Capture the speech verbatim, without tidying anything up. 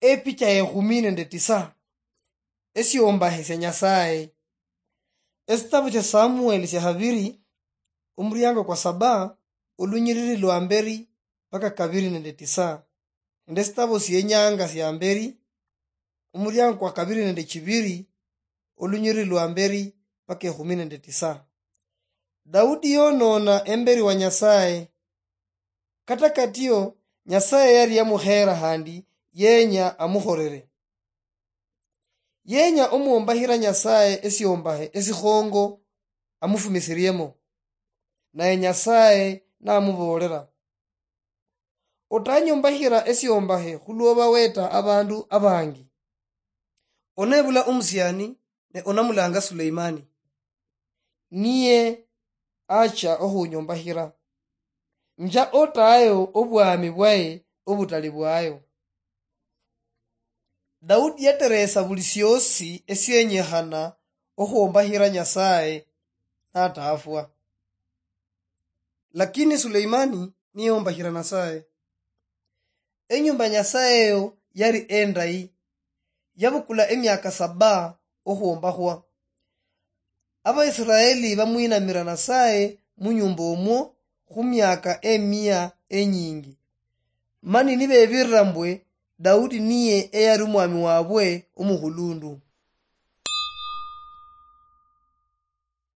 Epicha ekhumi nende tisa. Esiombahe sia Nyasaye. Esitabu sia Samueli sia habiri, omuriango kwa saba, olunyiriri lwa mberi mpaka kabiri nende tisa, nende esitabu sienyanga sia mberi, omuriango kwa kabiri nende chibiri, olunyiriri lwa mberi mpaka ekhumi nende tisa. Daudi yonona emberi wa Nyasaye. Kata katio, Nyasaye yari yamukhera handi yenya amukhorere. Yenya omwombahira Nyasaye esiombahe esikhongo amufumisiriemo. Naye Nyasaye namuboolera, "Otanyombahira esiombahe khulwoba weta abandu abangi. Onebula omusiani ne onamulanga Suleimani. Niye acha okhunyombahira. Nja otayo obwami bwaye obutali bwayo." Daudi yateresa buli siosi esienyekhana okhwombahira Nyasaye natafwa. Lakini Suleimani niyombahira Nyasaye. Enyumba Nyasaye eyo yari endayi. Yabukula emiaka saba okhwombakhwa. Abaisiraeli bamwinamira Nyasaye munyumba omwo khumiaka emia enyingi. Mani nibebirira mbwe Daudi niye eyari omwami wabwe omukhulundu.